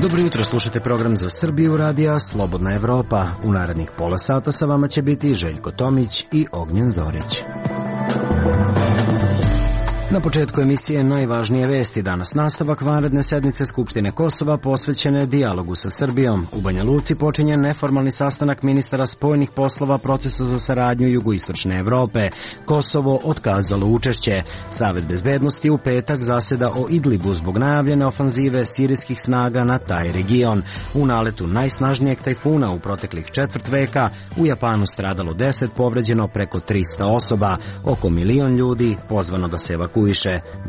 Dobro jutro, slušate program za Srbiju radija Slobodna Evropa. U narednih pola sata sa vama će biti Željko Tomić i Ognjen Zorić. Na početku emisije najvažnije vesti. Danas nastavak vanredne sednice Skupštine Kosova posvećene dijalogu sa Srbijom. U Banja Luci počinje neformalni sastanak ministara spoljnih poslova procesa za saradnju Jugoistočne Evrope. Kosovo otkazalo učešće. Savet bezbednosti u petak zaseda o Idlibu zbog najavljene ofanzive sirijskih snaga na taj region. U naletu najsnažnijeg tajfuna u proteklih četvrt veka u Japanu stradalo 10, povređeno preko 300 osoba. Oko 1 milion ljudi pozvano da se evakuira.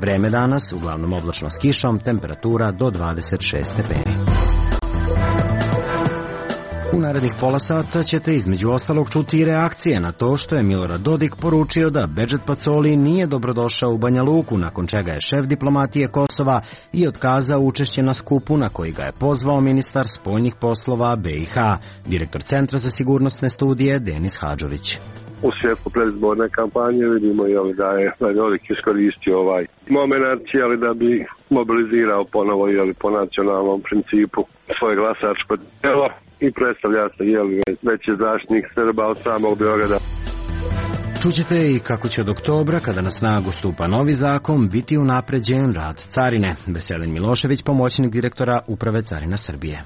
Vreme danas, uglavnom oblačno s kišom, temperatura do 26 stepeni. U narednih pola sata ćete između ostalog čuti i reakcije na to što je Milorad Dodik poručio da Bedžet Pacoli nije dobrodošao u Banja Luku, nakon čega je šef diplomatije Kosova i otkazao učešće na skupu na koji ga je pozvao ministar spoljnih poslova BiH, direktor Centra za sigurnosne studije Denis Hadžović. U svjetlu predizborne kampanje vidimo da je Dodik iskoristio ovaj moment da bi mobilizirao ponovo po nacionalnom principu svoje glasačko tijelo i predstavlja se veći zaštitnik Srba od samog Beograda. Čućete i kako će od oktobra, kada na snagu stupa novi zakon, biti unapređen rad carine. Veselin Milošević, pomoćnik direktora Uprave Carina Srbije.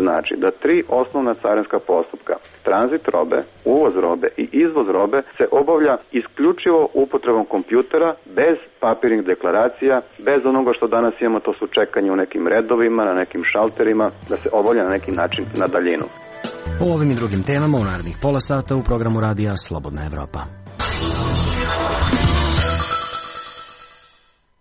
Znači da 3 osnovna carinska postupka, tranzit robe, uvoz robe i izvoz robe, se obavlja isključivo upotrebom kompjutera, bez papirnih deklaracija, bez onoga što danas imamo, to su čekanje u nekim redovima, na nekim šalterima, da se obavlja na neki način na daljinu. O ovim i drugim temama u narednih pola sata u programu radija Slobodna Evropa.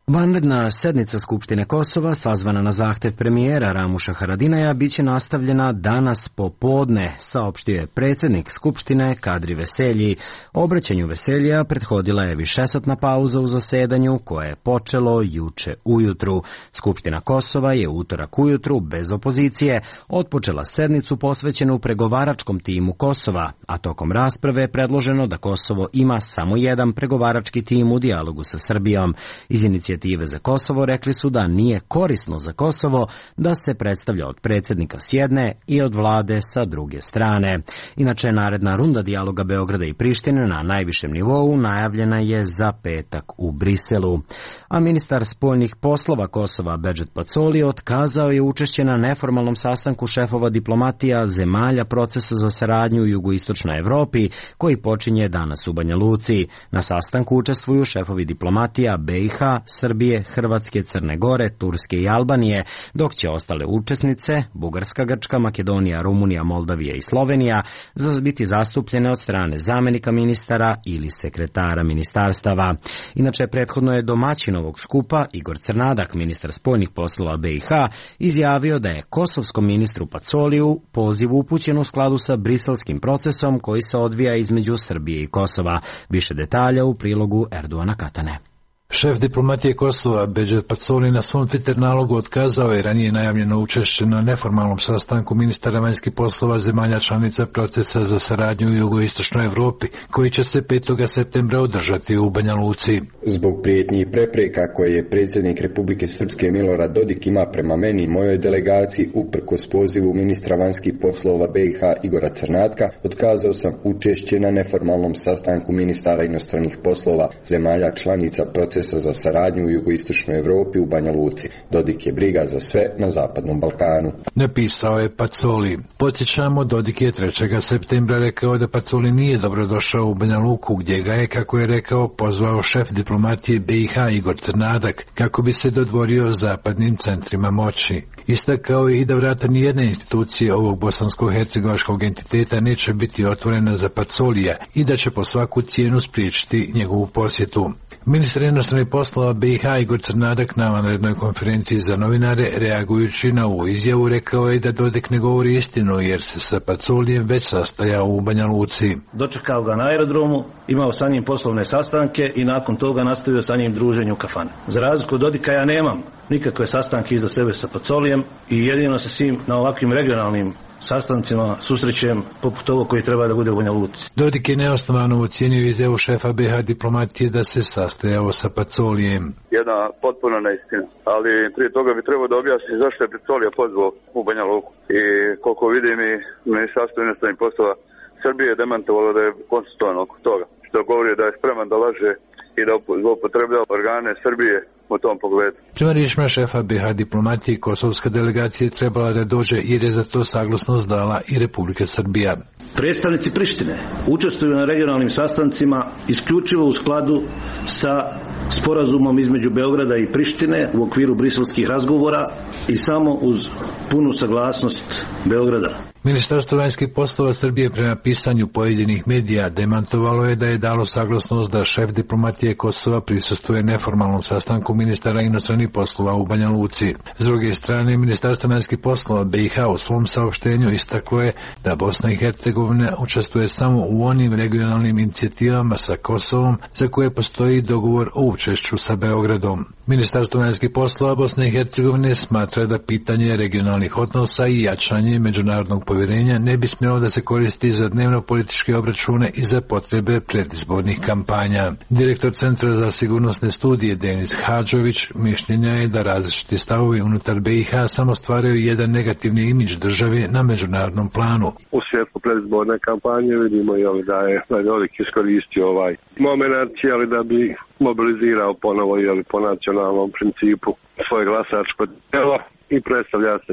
Vanredna sednica Skupštine Kosova, sazvana na zahtev premijera Ramuša Haradinaja, biće nastavljena danas popodne, saopštio je predsjednik Skupštine Kadri Veselji. Obraćanju Veseljija prethodila je višesatna pauza u zasedanju koje je počelo juče ujutru. Skupština Kosova je utorak ujutru, bez opozicije, otpočela sednicu posvećenu pregovaračkom timu Kosova, a tokom rasprave je predloženo da Kosovo ima samo jedan pregovarački tim u dijalogu sa Srbijom. Iz inicijative za Kosovo rekli su da nije korisno za Kosovo da se predstavlja od predsjednika s jedne i od vlade sa druge strane. Inače, naredna runda dijaloga Beograda i Prištine na najvišem nivou najavljena je za petak u Briselu. A ministar spoljnih poslova Kosova Bedžet Pacoli otkazao je učešće na neformalnom sastanku šefova diplomatija zemalja procesa za saradnju u Jugoistočnoj Evropi koji počinje danas u Banja Luci. Na sastanku učestvuju šefovi diplomatija BiH, Srbije, Hrvatske, Crne Gore, Turske i Albanije, dok će ostale učesnice, Bugarska, Grčka, Makedonija, Rumunija, Moldavija i Slovenija, biti zastupljene od strane zamenika ministara ili sekretara ministarstava. Inače, prethodno je domaćin ovog skupa Igor Crnadak, ministar spoljnih poslova BiH, izjavio da je kosovskom ministru Pacoliju poziv upućen u skladu sa briselskim procesom koji se odvija između Srbije i Kosova. Više detalja u prilogu Erdoana Katane. Šef diplomatije Kosova Bedžet Pacoli na svom Twitter nalogu otkazao je ranije najavljeno učešće na neformalnom sastanku ministara vanjskih poslova zemalja članica procesa za saradnju u Jugoistočnoj Evropi, koji će se 5. septembra održati u Banja Luci. Zbog prijetnji i prepreka koje je predsjednik Republike Srpske Milorad Dodik ima prema meni i mojoj delegaciji uprkos pozivu ministra vanjskih poslova BiH Igora Crnatka, otkazao sam učešće na neformalnom sastanku ministara inostranih poslova zemalja članica procesa za saradnju u Jugoistočnoj Evropi u Banja Luci. Dodik je briga za sve na Zapadnom Balkanu. Napisao je Pacoli. Podsjećamo, Dodik je 3. septembra rekao da Pacoli nije dobrodošao u Banja Luku, gdje ga je, kako je rekao, pozvao šef diplomatije BiH Igor Crnadak kako bi se dodvorio zapadnim centrima moći. Istakao je i da vrata nijedne institucije ovog bosansko-hercegovačkog entiteta neće biti otvorena za Pacolija i da će po svaku cijenu spriječiti njegovu posjetu. Ministar inostranih poslova BiH Igor Crnadak na vanrednoj konferenciji za novinare, reagujući na ovu izjavu, rekao je da Dodik ne govori istinu jer se sa Pacolijem već sastajao u Banja Luci. Dočekao ga na aerodromu, imao sa njim poslovne sastanke i nakon toga nastavio sa njim druženje u kafani. Za razliku od Dodika ja nemam nikakve sastanke iza sebe sa Pacolijem i jedino se s njim na ovakvim regionalnim sastancima susrećem poput ovog koji treba da bude u Banja Luci. Dodik je neosnovano ocijenio izjavu šefa BiH diplomatije da se sastajao sa Pacolijem. Jedna potpuna neistina, ali prije toga bi trebao da objasni zašto je Pacolija pozvao u Banja Luku. I koliko vidim i Ministarstvo inostranih poslova Srbije je demantovalo da je konsultovan oko toga, što govori da je spreman da laže i da zloupotrebljava organe Srbije u tom pogledu. Prema riječima šefa BiH diplomatije, kosovska delegacija je trebala da dođe jer je za to saglasnost dala i Republika Srbija. Predstavnici Prištine učestvuju na regionalnim sastancima isključivo u skladu sa sporazumom između Beograda i Prištine u okviru briselskih razgovora i samo uz punu saglasnost Beograda. Ministarstvo vanjskih poslova Srbije prema pisanju pojedinih medija demantovalo je da je dalo saglasnost da šef diplomatije Kosova prisustvuje neformalnom sastanku ministara inostranih poslova u Banja Luci. S druge strane, Ministarstvo vanjskih poslova BiH u svom saopštenju istaklo je da Bosna i Hercegovina učestvuje samo u onim regionalnim inicijativama sa Kosovom za koje postoji dogovor o učešću sa Beogradom. Ministarstvo vanjskih poslova Bosne i Hercegovine smatra da pitanje regionalnih odnosa i jačanje međunarodnog povjerenja ne bi smjelo da se koristi za dnevno političke obračune i za potrebe predizbornih kampanja. Direktor Centra za sigurnosne studije Denis Hadžović mišljenja je da različiti stavovi unutar BiH samo stvaraju jedan negativni imidž države na međunarodnom planu. U svjetlu predizborne kampanje vidimo da je Dodik iskoristio moment da bi mobilizirao ponovo po nacionalnom principu svoje glasačko tijelo i predstavlja se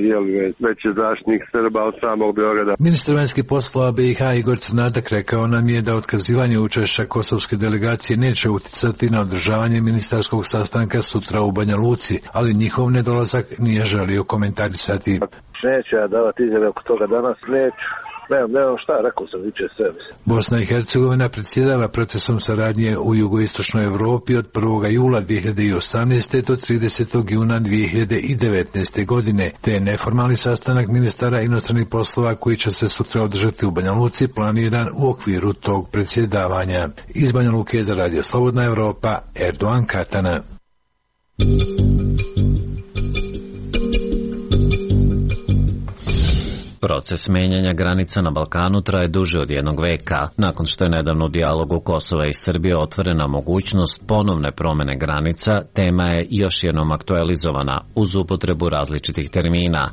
veći zaštitnik Srba od samog Beograda. Ministar vanjskih poslova BiH Igor Crnadak rekao nam je da otkazivanje učešća kosovske delegacije neće uticati na održavanje ministarskog sastanka sutra u Banja Luci, ali njihov nedolazak nije želio komentarisati. Neću ja davati izjave oko toga danas, neću. Nemam šta, rekao sam viče sve. Bosna i Hercegovina predsjedava procesom saradnje u jugoistočnoj Evropi od 1. jula 2018. do 30. juna 2019. godine, te je neformalni sastanak ministara inostranih poslova koji će se sutra održati u Banja Luci planiran u okviru tog predsjedavanja. Iz Banja Luke za Radio Slobodna Evropa, Erdogan Katana. Proces menjanja granica na Balkanu traje duže od jednog veka. Nakon što je nedavno u dijalogu Kosova i Srbije otvorena mogućnost ponovne promene granica, tema je još jednom aktualizovana uz upotrebu različitih termina.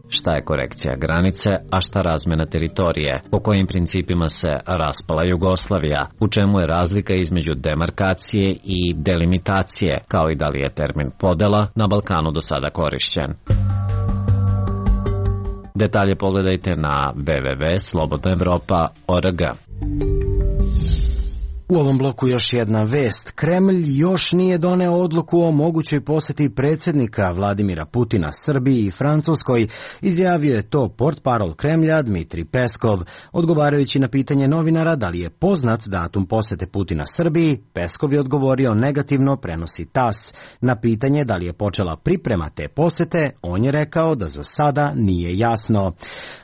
Šta je korekcija granice, a šta razmjena teritorije? Po kojim principima se raspala Jugoslavija? U čemu je razlika između demarkacije i delimitacije, kao i da li je termin podela na Balkanu do sada korišćen? Detalje pogledajte na www.slobodnaevropa.org. U ovom bloku još jedna vest. Kremlj još nije doneo odluku o mogućoj posjeti predsjednika Vladimira Putina Srbiji i Francuskoj, izjavio je to portparol Kremlja Dmitrij Peskov. Odgovarajući na pitanje novinara da li je poznat datum posjete Putina Srbiji, Peskov je odgovorio negativno, prenosi TASS. Na pitanje da li je počela priprema te posjete, on je rekao da za sada nije jasno.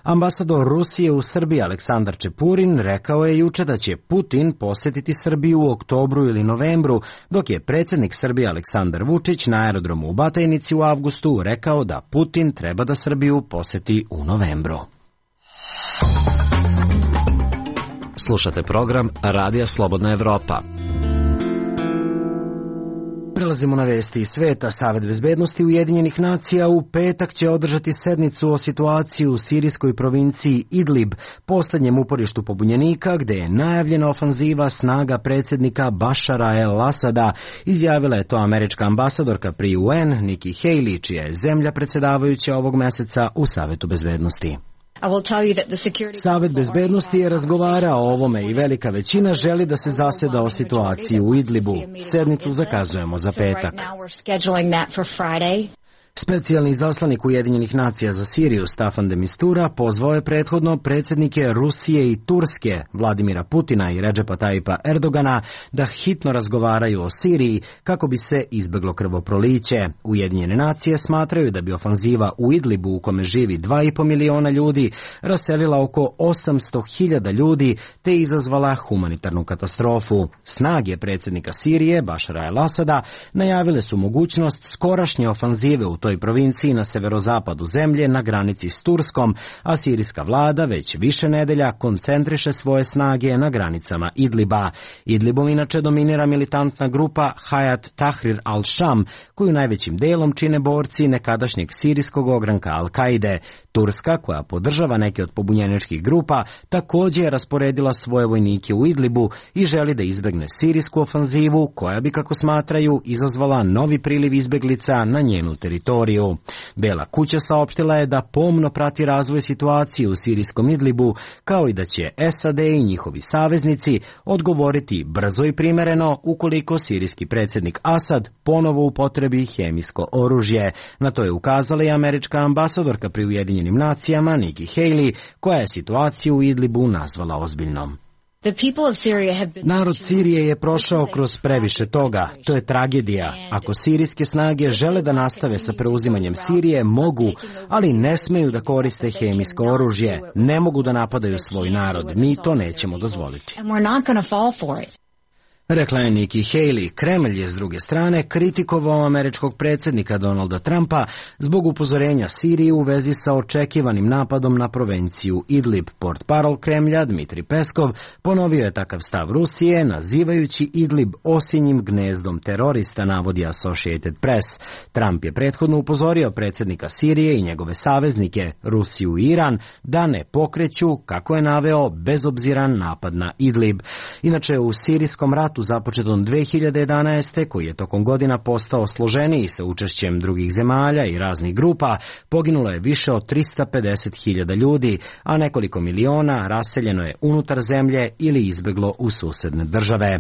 Ambasador Rusije u Srbiji Aleksandar Čepurin rekao je juče da će Putin posjetiti Srbiju u oktobru ili novembru, dok je predsjednik Srbije Aleksandar Vučić na aerodromu u Batajnici u avgustu rekao da Putin treba da Srbiju posjeti u novembru. Slušate program Radija Slobodna Evropa. Prelazimo na vesti iz sveta. Savet bezbednosti Ujedinjenih nacija u petak će održati sednicu o situaciji u sirijskoj provinciji Idlib, posljednjem uporištu pobunjenika, gde je najavljena ofanziva snaga predsjednika Bašara el-Asada. Izjavila je to američka ambasadorka pri UN, Nikki Haley, čija je zemlja predsjedavajuća ovog meseca u Savetu bezbednosti. Savet bezbednosti je razgovarao o ovome i velika većina želi da se zaseda o situaciji u Idlibu. Sednicu zakazujemo za petak. Specijalni izaslanik Ujedinjenih nacija za Siriju Staffan de Mistura pozvao je prethodno predsjednike Rusije i Turske, Vladimira Putina i Redžepa Tajipa Erdogana, da hitno razgovaraju o Siriji kako bi se izbeglo krvoproliće. Ujedinjene nacije smatraju da bi ofanziva u Idlibu, u kome živi 2,5 miliona ljudi, raselila oko 800.000 ljudi te izazvala humanitarnu katastrofu. Snage predsjednika Sirije, Bašara el-Asada, najavile su mogućnost skorašnje ofanzive u toj toj provinciji na severozapadu zemlje na granici s Turskom, a sirijska vlada već više nedelja koncentriše svoje snage na granicama Idliba. Idlibom inače dominira militantna grupa Hayat Tahrir al-Sham, koju najvećim delom čine borci nekadašnjeg sirijskog ogranka Al-Kaide. Turska, koja podržava neke od pobunjeničkih grupa, također je rasporedila svoje vojnike u Idlibu i želi da izbegne sirijsku ofanzivu, koja bi, kako smatraju, izazvala novi priliv izbeglica na njenu teritoriju. Bela kuća saopštila je da pomno prati razvoj situacije u sirijskom Idlibu, kao i da će SAD i njihovi saveznici odgovoriti brzo i primereno ukoliko sirijski predsjednik Asad ponovo upotrebi hemijsko oružje. Na to je ukazala i američka ambasadorka pri Ujedinjenim nacijama Nikki Haley, koja je situaciju u Idlibu nazvala ozbiljnom. Narod Sirije je prošao kroz previše toga. To je tragedija. Ako sirijske snage žele da nastave sa preuzimanjem Sirije, mogu, ali ne smeju da koriste hemijsko oružje. Ne mogu da napadaju svoj narod. Mi to nećemo dozvoliti. Rekla je Nikki Haley. Kremlj je s druge strane kritikovao američkog predsjednika Donalda Trumpa zbog upozorenja Sirije u vezi sa očekivanim napadom na provinciju Idlib. Portparol Kremlja Dmitri Peskov ponovio je takav stav Rusije, nazivajući Idlib osinjim gnezdom terorista, navodi Associated Press. Trump je prethodno upozorio predsjednika Sirije i njegove saveznike, Rusiju i Iran, da ne pokreću, kako je naveo, bezobziran napad na Idlib. Inače, u sirijskom ratu započetom 2011. koji je tokom godina postao složeniji sa učešćem drugih zemalja i raznih grupa, poginulo je više od 350.000 ljudi, a nekoliko miliona raseljeno je unutar zemlje ili izbeglo u susedne države.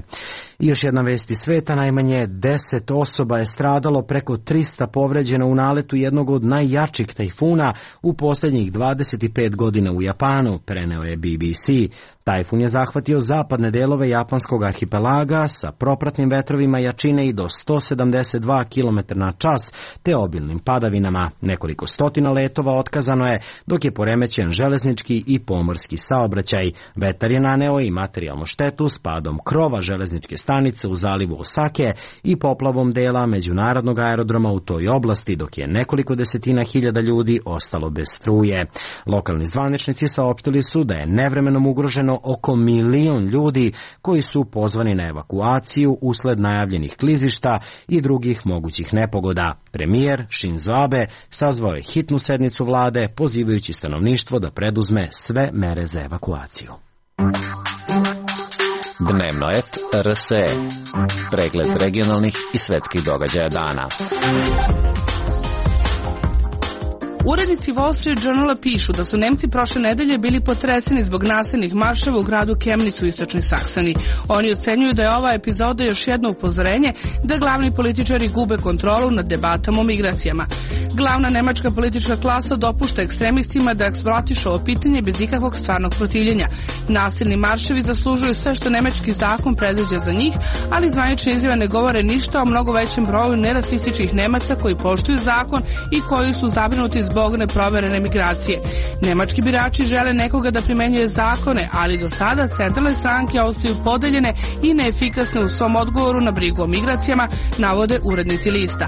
I još jedna vest iz sveta, najmanje 10 osoba je stradalo, preko 300 povređeno u naletu jednog od najjačih tajfuna u posljednjih 25 godina u Japanu, preneo je BBC. Tajfun je zahvatio zapadne delove japanskog arhipelaga sa propratnim vetrovima jačine i do 172 km/h te obilnim padavinama. Nekoliko stotina letova otkazano je, dok je poremećen železnički i pomorski saobraćaj. Vetar je naneo i materijalnu štetu s padom krova železničke stanice u zalivu Osake i poplavom dela međunarodnog aerodroma u toj oblasti, dok je nekoliko desetina hiljada ljudi ostalo bez struje. Lokalni zvaničnici saopštili su da je nevremenom ugroženo oko 1 milion ljudi koji su pozvani na evakuaciju usled najavljenih klizišta i drugih mogućih nepogoda. Premijer Shinzo Abe sazvao je hitnu sednicu vlade, pozivajući stanovništvo da preduzme sve mere za evakuaciju. Dnevnoet RSE. Pregled regionalnih i svetskih događaja dana. Urednici Wall Street Journala pišu da su Nemci prošle nedelje bili potreseni zbog nasilnih marševa u gradu Chemnitz u istočnoj Saksoniji. Oni ocenjuju da je ova epizoda još jedno upozorenje da glavni političari gube kontrolu nad debatama o migracijama. Glavna nemačka politička klasa dopušta ekstremistima da eksploatišu ovo pitanje bez ikakvog stvarnog protivljenja. Nasilni marševi zaslužuju sve što nemački zakon predviđa za njih, ali zvanične izjave ne govore ništa o mnogo većem broju nerasističkih Nemaca koji poštuju zakon i koji su zabrinuti zbog neproverene migracije. Nemački birači žele nekoga da primenjuje zakone, ali do sada centralne stranke ostaju podeljene i neefikasne u svom odgovoru na brigu o migracijama, navode urednici lista.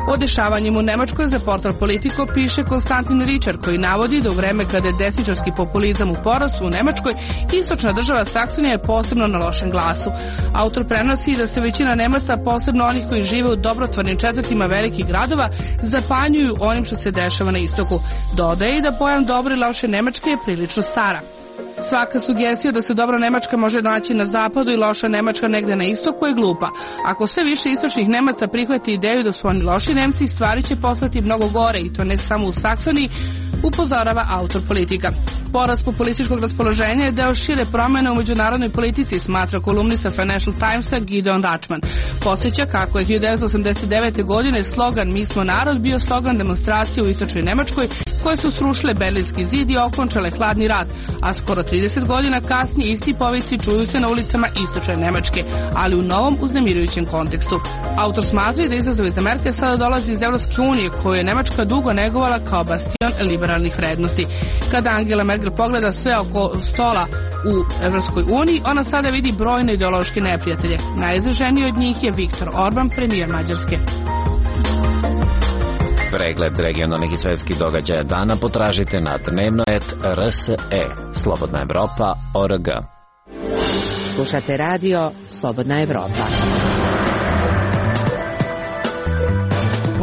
O dešavanjima u Nemačkoj za portal Politico piše Konstantin Ričar, koji navodi da u vreme kada je desničarski populizam u porastu u Nemačkoj, istočna država Saksonija je posebno na lošem glasu. Autor prenosi da se većina Nemaca, posebno onih koji žive u dobrotvornim četvrtima velikih gradova, zapanjuju onim što se dešava na istoku. Dodaje i da pojam dobre i loše Nemačke je prilično stara. Svaka sugestija da se dobra Nemačka može naći na zapadu i loša Nemačka negde na istoku je glupa. Ako sve više istočnih Nemaca prihvati ideju da su oni loši Nemci, stvari će postati mnogo gore, i to ne samo u Saksoniji, upozorava autor Politika. Porast populističkog raspoloženja je deo šire promjene u međunarodnoj politici, smatra kolumnista Financial Timesa Gideon Rachman. Podsjeća kako je 1989. godine slogan "Mi smo narod" bio slogan demonstracije u istočnoj Nemačkoj koje su srušile Berlinski zid i okončale hladni rat, a skoro 30 godina kasnije isti povesti čuju se na ulicama istočne Nemačke, ali u novom uznemirujućem kontekstu. Autor smatra da izazov iz Amerike sada dolazi iz Evropske unije, koju je Nemačka dugo negovala kao bastion liberalnih vrednosti. Kada Angela Merkel pogleda sve oko stola u Evropskoj uniji, ona sada vidi brojne ideološke neprijatelje. Najizraženiji od njih je Viktor Orban, premijer Mađarske. Pregled regionalnih i svetskih događaja dana potražite na dnevno.rs.e. Slobodna Evropa.org. Slušate radio Slobodna Evropa.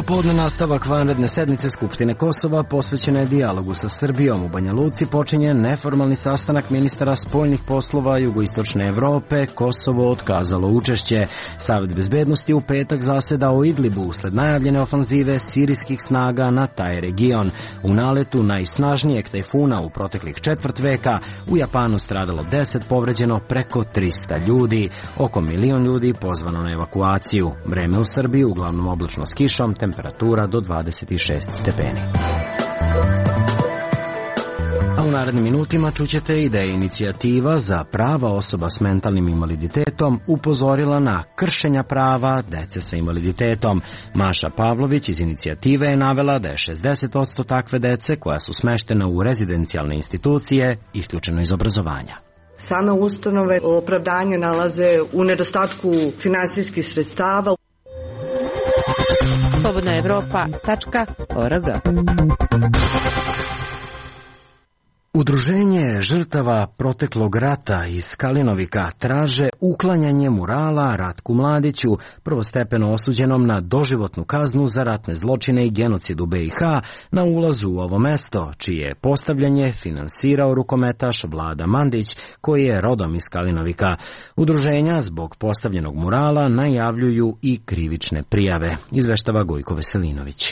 Popodne nastavak vanredne sednice Skupštine Kosova posvećena je dijalogu sa Srbijom. U Banja Luci počinje neformalni sastanak ministara spoljnih poslova jugoistočne Evrope. Kosovo otkazalo učešće. Savet bezbednosti u petak zaseda o Idlibu usled najavljene ofanzive sirijskih snaga na taj region. U naletu najsnažnijeg tajfuna u proteklih četvrt veka u Japanu stradalo 10, povređeno preko 300 ljudi. Oko 1 milion ljudi pozvano na evakuaciju. Vreme u Srbiji uglavnom oblačno s kišom, temperatura do 26 stepeni. A u narednim minutima čućete i da je inicijativa za prava osoba s mentalnim invaliditetom upozorila na kršenja prava dece sa invaliditetom. Maša Pavlović iz inicijative je navela da je 60% takve dece koja su smeštena u rezidencijalne institucije isključeno iz obrazovanja. Same ustanove opravdanje nalaze u nedostatku finansijskih sredstava. slobodnaevropa.org. Udruženje žrtava proteklog rata iz Kalinovika traže uklanjanje murala Ratku Mladiću, prvostepeno osuđenom na doživotnu kaznu za ratne zločine i genocid u BiH, na ulazu u ovo mesto, čije postavljanje finansirao rukometaš Vlada Mandić, koji je rodom iz Kalinovika. Udruženja zbog postavljenog murala najavljuju i krivične prijave, izveštava Gojko Veselinović.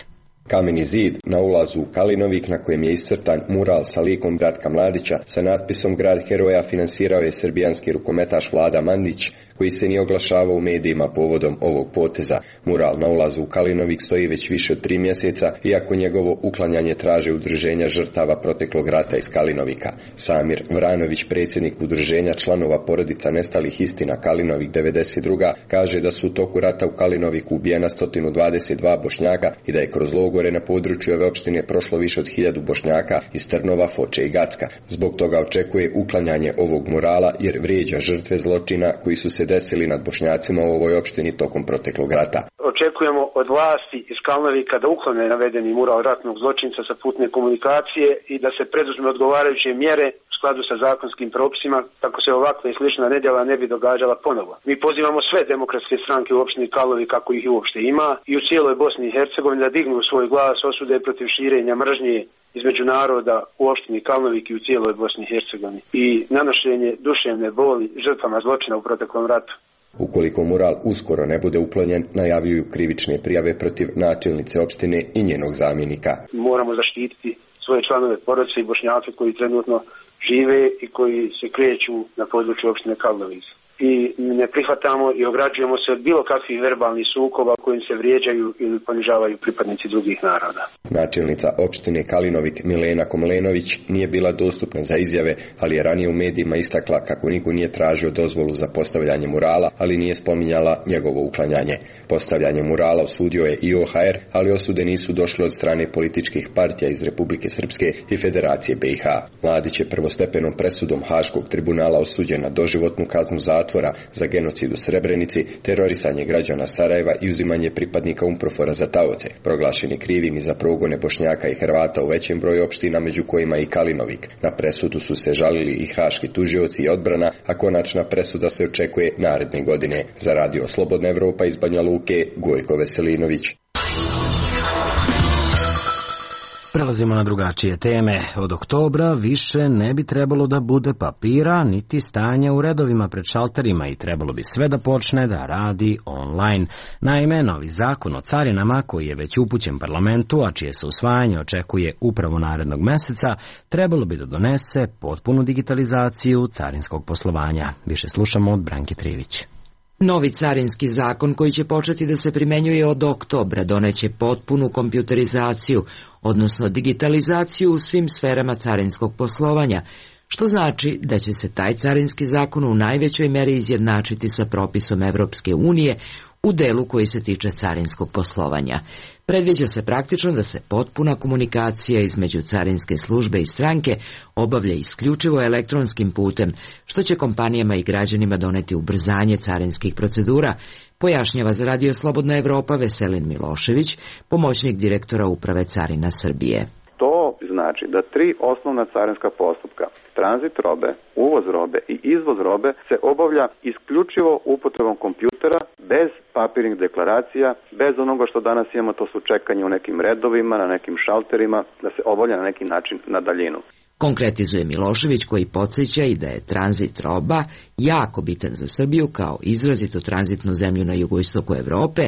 Kameni zid na ulazu u Kalinovik na kojem je iscrtan mural sa likom Ratka Mladića sa natpisom Grad heroja finansirao je srbijanski rukometaš Vlada Mandić, koji se nije oglašavao u medijima povodom ovog poteza. Mural na ulazu u Kalinovik stoji već više od 3 mjeseca, iako njegovo uklanjanje traže udruženja žrtava proteklog rata iz Kalinovika. Samir Vranović, predsjednik udruženja članova porodica nestalih istina Kalinovik 92. kaže da su u toku rata u Kalinoviku ubijena 122 Bošnjaka i da je kroz logore na području ove opštine prošlo više od 1000 Bošnjaka iz Trnova, Foče i Gacka. Zbog toga očekuje uklanjanje ovog murala jer vrijeđa žrtve zločina koji su se desili nad Bošnjacima u ovoj opštini tokom proteklog rata. Očekujemo od vlasti iz Kalinovika da uklone navedeni mural ratnog zločinca sa putne komunikacije i da se preduzme odgovarajuće mjere u skladu sa zakonskim propisima kako se ovakva i slična nedjela ne bi događala ponovo. Mi pozivamo sve demokratske stranke u opštini Kalinovik, kako ih uopšte ima, i u cijeloj Bosni i Hercegovini da dignu svoj glas osude protiv širenja mržnje između naroda u opštini Kalinovik i u cijeloj Bosni i Hercegovini i nanošenje duševne boli žrtvama zločina u proteklom ratu. Ukoliko mural uskoro ne bude uklonjen, najavljuju krivične prijave protiv načelnice opštine i njenog zamjenika. Moramo zaštititi svoje članove porodice i Bošnjake koji trenutno žive i koji se kreću na području opštine Kalinovik. I ne prihvatamo i ograđujemo se od bilo kakvih verbalnih sukoba kojim se vrijeđaju ili ponižavaju pripadnici drugih naroda. Načelnica opštine Kalinovik Milena Komlenović nije bila dostupna za izjave, ali je ranije u medijima istakla kako niko nije tražio dozvolu za postavljanje murala, ali nije spominjala njegovo uklanjanje. Postavljanje murala osudio je i OHR, ali osude nisu došle od strane političkih partija iz Republike Srpske i Federacije BiH. Mladić je prvostepenom presudom Haškog tribunala osuđen na doživotnu kaznu zatvora za genocid u Srebrenici, terorisanje građana Sarajeva i uzimanje pripadnika UNPROFOR-a za taoce. Proglašen je krivim i za progone Bošnjaka i Hrvata u većem broju opština, među kojima i Kalinovik. Na presudu su se žalili i haški tužioci i odbrana, a konačna presuda se očekuje naredne godine. Za radio Slobodna Evropa iz Banja Luke, Gojko Veselinović. Prelazimo na drugačije teme. Od oktobra više ne bi trebalo da bude papira niti stanja u redovima pred šalterima i trebalo bi sve da počne da radi online. Naime, novi zakon o carinama, koji je već upućen parlamentu, a čije se usvajanje očekuje upravo narednog meseca, trebalo bi da donese potpunu digitalizaciju carinskog poslovanja. Više slušamo od Branke Trivić. Novi carinski zakon koji će početi da se primenjuje od oktobra doneće potpunu kompjuterizaciju, odnosno digitalizaciju u svim sferama carinskog poslovanja, što znači da će se taj carinski zakon u najvećoj meri izjednačiti sa propisom Evropske unije u delu koji se tiče carinskog poslovanja. Predviđa se praktično da se potpuna komunikacija između carinske službe i stranke obavlja isključivo elektronskim putem, što će kompanijama i građanima doneti ubrzanje carinskih procedura, pojašnjava za Radio Slobodna Evropa Veselin Milošević, pomoćnik direktora Uprave carina Srbije. To znači da 3 osnovna carinska postupka, tranzit robe, uvoz robe i izvoz robe, se obavlja isključivo upotrebom kompjutera, bez papirnih deklaracija, bez onoga što danas imamo, to su čekanje u nekim redovima, na nekim šalterima, da se obavlja na neki način na daljinu. Konkretizuje Milošević, koji podsjeća i da je tranzit roba jako bitan za Srbiju kao izrazito tranzitnu zemlju na jugoistoku Evrope,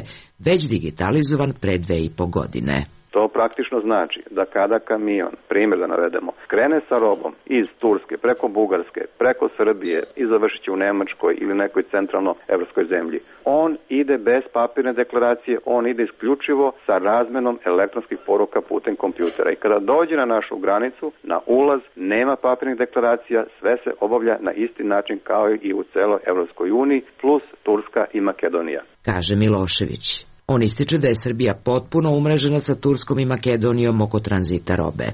već digitalizovan pre 2,5 godine. To praktično znači da kada kamion, primjer da navedemo, krene sa robom iz Turske, preko Bugarske, preko Srbije i završit će u Nemačkoj ili nekoj centralno-evropskoj zemlji, on ide bez papirne deklaracije, on ide isključivo sa razmenom elektronskih poruka putem kompjutera. I kada dođe na našu granicu, na ulaz, nema papirnih deklaracija, sve se obavlja na isti način kao i u celoj Evropskoj uniji, plus Turska i Makedonija. Kaže Milošević. On ističe da je Srbija potpuno umrežena sa Turskom i Makedonijom oko tranzita robe.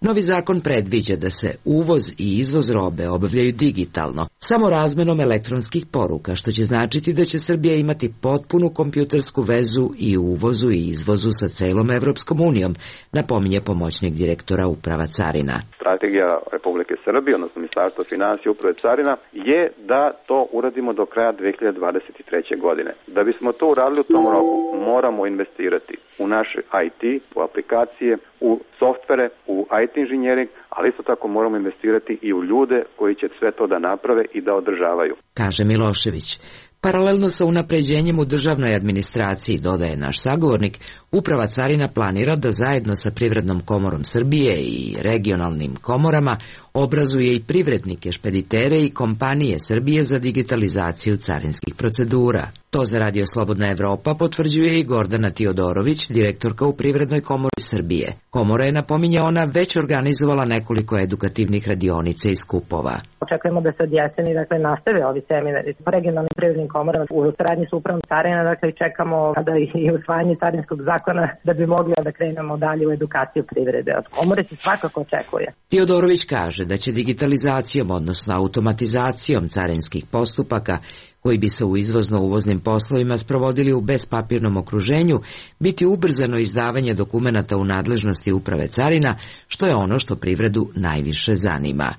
Novi zakon predviđa da se uvoz i izvoz robe obavljaju digitalno, samo razmenom elektronskih poruka, što će značiti da će Srbija imati potpunu kompjutersku vezu i u uvozu i izvozu sa celom Evropskom unijom, napominje pomoćnik direktora Uprava carina. Strategija Republike Srbije, odnosno Ministarstva finansija Uprave carina, je da to uradimo do kraja 2023. godine. Da bismo to uradili u tom roku, moramo investirati u naš IT, u aplikacije, u softvere, u IT inženjering, ali isto tako moramo investirati i u ljude koji će sve to da naprave i da održavaju. Kaže Milošević. Paralelno sa unapređenjem u državnoj administraciji, dodaje naš sagovornik, Uprava carina planira da zajedno sa Privrednom komorom Srbije i regionalnim komorama obrazuje i privrednike, špeditere i kompanije Srbije za digitalizaciju carinskih procedura. To za Radio Slobodna Evropa potvrđuje i Gordana Tiodorović, direktorka u Privrednoj komori Srbije. Komora je, napominje ona, već organizovala nekoliko edukativnih radionica i skupova. Očekujemo da se od jeseni nastave ovi seminari po regionalnim privrednim komorama u saradnji sa Upravom carina, i čekamo da i usvajanje carinskog zakona da bi mogli da krenemo dalje u edukaciju privrede. Od komore se svakako očekuje. Tiodorović kaže da će digitalizacijom, odnosno automatizacijom carinskih postupaka, koji bi se u izvozno-uvoznim poslovima sprovodili u bespapirnom okruženju, biti ubrzano izdavanje dokumenata u nadležnosti Uprave carina, što je ono što privredu najviše zanima.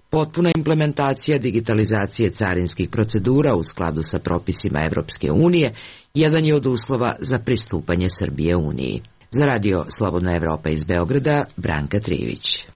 Potpuna implementacija digitalizacije carinskih procedura u skladu sa propisima Evropske unije jedan je od uslova za pristupanje Srbije Uniji. Za Radio Slobodna Evropa iz Beograda, Branka Trivić.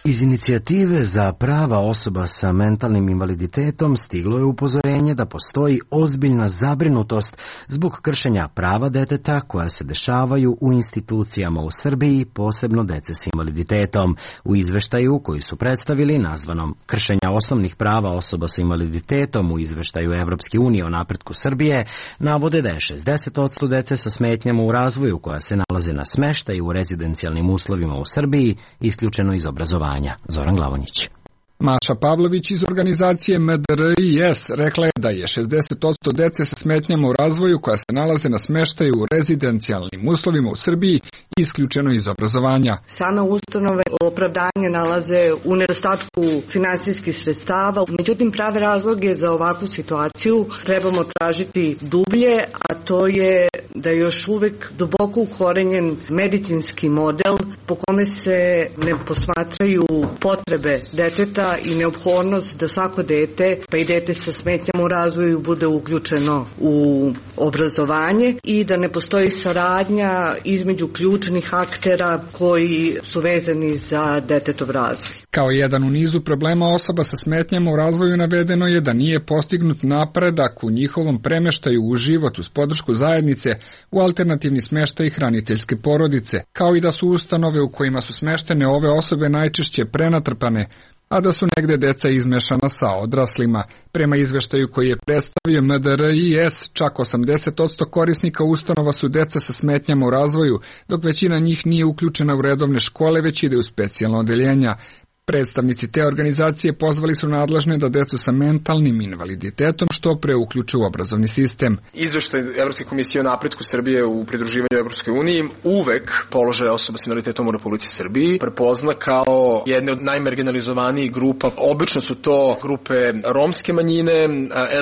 Iz inicijative za prava osoba sa mentalnim invaliditetom stiglo je upozorenje da postoji ozbiljna zabrinutost zbog kršenja prava deteta koja se dešavaju u institucijama u Srbiji, posebno dece s invaliditetom. U izveštaju koji su predstavili, nazvanom Kršenja osnovnih prava osoba sa invaliditetom u izveštaju Evropske unije o napretku Srbije, navode da je 60% dece sa smetnjama u razvoju koja se nalaze na smeštaju u rezidencijalnim uslovima u Srbiji isključeno iz obrazovanja. Zoran Glavonjić. Maša Pavlović iz organizacije MDRIS rekla je da je 60% dece sa smetnjama u razvoju koja se nalaze na smeštaju u rezidencijalnim uslovima u Srbiji isključeno iz obrazovanja. Same ustanove opravdanje nalaze u nedostatku finansijskih sredstava, međutim prave razloge za ovakvu situaciju trebamo tražiti dublje, a to je da je još uvek duboko ukorenjen medicinski model po kome se ne posmatraju potrebe deteta i neophodnost da svako dete, pa i dete sa smetnjama u razvoju, bude uključeno u obrazovanje i da ne postoji saradnja između ključnih aktera koji su vezani za detetov razvoj. Kao jedan u nizu problema osoba sa smetnjama u razvoju navedeno je da nije postignut napredak u njihovom premeštaju u život uz podršku zajednice u alternativni smeštaj hraniteljske porodice, kao i da su ustanove u kojima su smeštene ove osobe najčešće prenatrpane, a da su negde deca izmešana sa odraslima. Prema izveštaju koji je predstavio MDRIS, čak 80% korisnika ustanova su deca sa smetnjama u razvoju, dok većina njih nije uključena u redovne škole, već ide u specijalno odeljenja. Predstavnici te organizacije pozvali su nadležne da decu sa mentalnim invaliditetom što pre uključe u obrazovni sistem. Izveštaj Evropske komisije o napretku Srbije u pridruživanju Evropskoj uniji uvek položaj osoba s invaliditetom u Republici Srbiji prepozna kao jedne od najmarginalizovanijih grupa. Obično su to grupe romske manjine,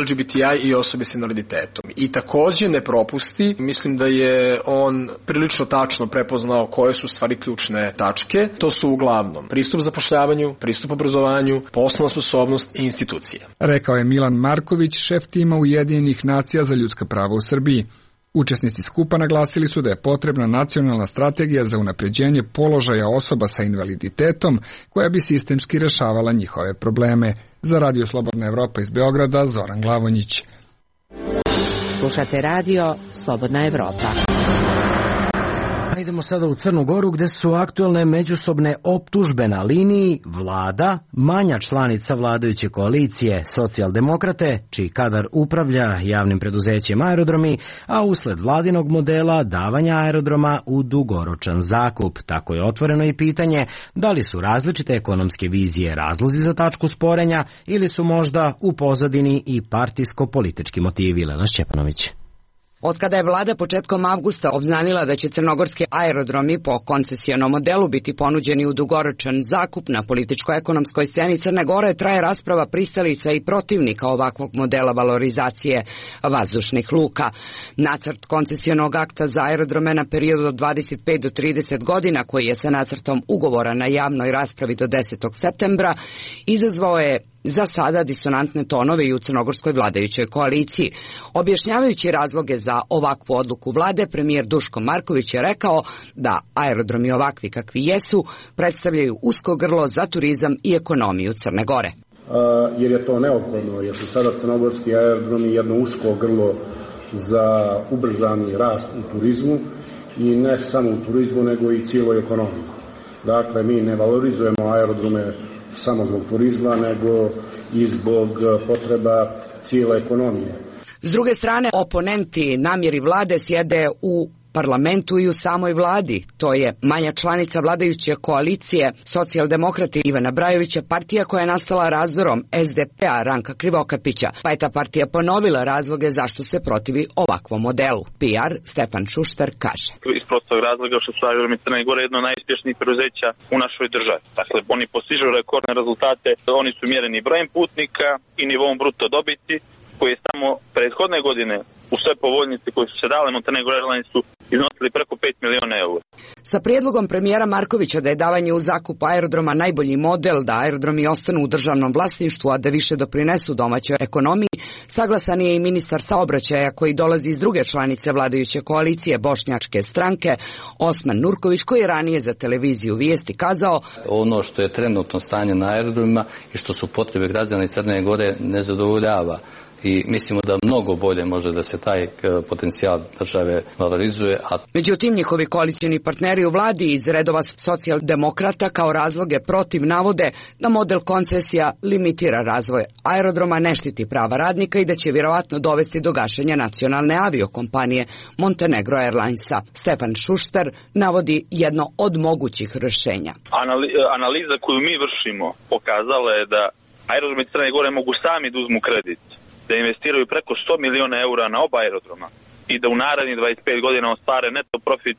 LGBTI i osobe s invaliditetom. I takođe ne propusti, mislim da je on prilično tačno prepoznao koje su stvari ključne tačke. To su uglavnom pristup zapošljavanju, pristup obrazovanju, poslovna sposobnost i institucije. Rekao je Milan Marković, šef tima Ujedinjenih nacija za ljudska prava u Srbiji. Učesnici skupa naglasili su da je potrebna nacionalna strategija za unapređenje položaja osoba sa invaliditetom koja bi sistemski rešavala njihove probleme. Za Radio Slobodna Evropa iz Beograda, Zoran Glavonjić. Slušate radio Slobodna Evropa. Idemo sada u Crnu Goru gde su aktuelne međusobne optužbe na liniji vlada, manja članica vladajuće koalicije Socijaldemokrate, čiji kadar upravlja javnim preduzećem Aerodromi, a usled vladinog modela davanja aerodroma u dugoročan zakup. Tako je otvoreno i pitanje da li su različite ekonomske vizije razlozi za tačku sporenja ili su možda u pozadini i partijsko-politički motivi. Lena Šćepanović. Od kada je vlada početkom avgusta obznanila da će crnogorski aerodromi po koncesionom modelu biti ponuđeni u dugoročan zakup na političko-ekonomskoj sceni Crne Gore, traje rasprava pristalica i protivnika ovakvog modela valorizacije vazdušnih luka. Nacrt koncesionog akta za aerodrome na period od 25 do 30 godina, koji je sa nacrtom ugovora na javnoj raspravi do 10. septembra, izazvao je za sada disonantne tonove i u crnogorskoj vladajućoj koaliciji. Objašnjavajući razloge za ovakvu odluku vlade, premijer Duško Marković je rekao da aerodromi ovakvi kakvi jesu predstavljaju usko grlo za turizam i ekonomiju Crne Gore. Jer je to neophodno, jer su sada crnogorski aerodromi jedno usko grlo za ubrzani rast u turizmu i ne samo u turizmu nego i cijeloj ekonomiji. Dakle, mi ne valorizujemo aerodrome samo zbog turizma, nego i zbog potreba cijele ekonomije. S druge strane, oponenti namjeri vlade sjede u parlamentu i u samoj vladi. To je manja članica vladajuće koalicije Socijaldemokrati Ivana Brajovića, partija koja je nastala razdorom SDP-a Ranka Krivokapića, pa je ta partija ponovila razloge zašto se protivi ovakvom modelu. PR Stepan Šuštar kaže. Iz prostog razloga što su aerodromi Crne Gore jedno od najuspješnijih preduzeća u našoj državi. Dakle, oni postižu rekordne rezultate, oni su mjereni brojem putnika i nivom bruto dobiti, koji je samo prethodne godine u sve povoljnice koje su se dale Montenegro Airlinesu iznosili preko 5 miliona eura. Sa prijedlogom premijera Markovića da je davanje u zakup aerodroma najbolji model, da aerodromi ostanu u državnom vlasništvu, a da više doprinesu domaćoj ekonomiji, saglasan je i ministar saobraćaja koji dolazi iz druge članice vladajuće koalicije Bošnjačke stranke, Osman Nurković, koji je ranije za televiziju Vijesti kazao: ono što je trenutno stanje na aerodromima i što su potrebe građana Crne Gore ne zadovoljava. I mislimo da mnogo bolje može da se taj potencijal države valorizuje. Međutim, njihovi koalicioni partneri u vladi iz redova Socijaldemokrata kao razloge protiv navode da model koncesija limitira razvoj aerodroma, ne štiti prava radnika i da će vjerovatno dovesti do gašenja nacionalne aviokompanije Montenegro Airlinesa. Stefan Šuštar navodi jedno od mogućih rješenja. Analiza koju mi vršimo pokazala je da aerodromi Crne Gore mogu sami da uzmu kredit, da investiraju preko 100 miliona eura na oba aerodroma i da u narednih 25 godina ostvare neto profit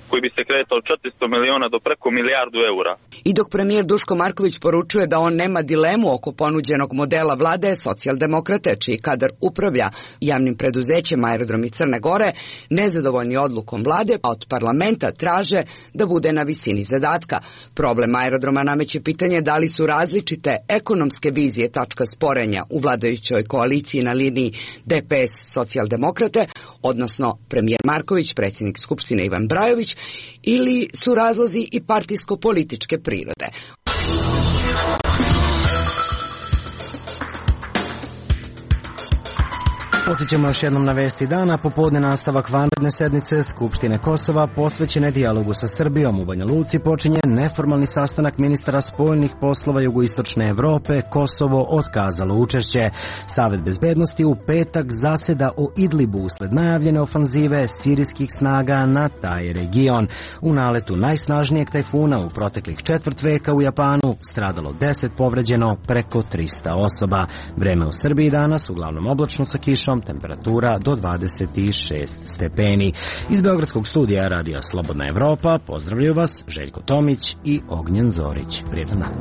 koji bi se kretao od 400 miliona do preko milijardu eura. I dok premijer Duško Marković poručuje da on nema dilemu oko ponuđenog modela vlade, Socijaldemokrate, čiji kadar upravlja javnim preduzećem Aerodromi Crne Gore, nezadovoljni odlukom vlade, a od parlamenta traže da bude na visini zadatka. Problem aerodroma nameće pitanje da li su različite ekonomske vizije tačka sporenja u vladajućoj koaliciji na liniji DPS Socijaldemokrate, odnosno premijer Marković, predsjednik Skupštine Ivan Brajović, ili su razlozi i partijsko-političke prirode. Podsjećamo još jednom na vesti dana. Popodne nastavak vanredne sednice Skupštine Kosova posvećene dijalogu sa Srbijom. U Banja Luci počinje neformalni sastanak ministara spoljnih poslova jugoistočne Evrope. Kosovo otkazalo učešće. Savet bezbednosti u petak zaseda o Idlibu usled najavljene ofanzive sirijskih snaga na taj region. U naletu najsnažnijeg tajfuna u proteklih četvrt veka u Japanu stradalo 10, povređeno preko 300 osoba. Vreme u Srbiji danas uglavnom oblačno sa kišom, temperatura do 26 stepeni. Iz Beogradskog studija Radija Slobodna Evropa pozdravljaju vas Željko Tomić i Ognjen Zorić. Prijetan dan.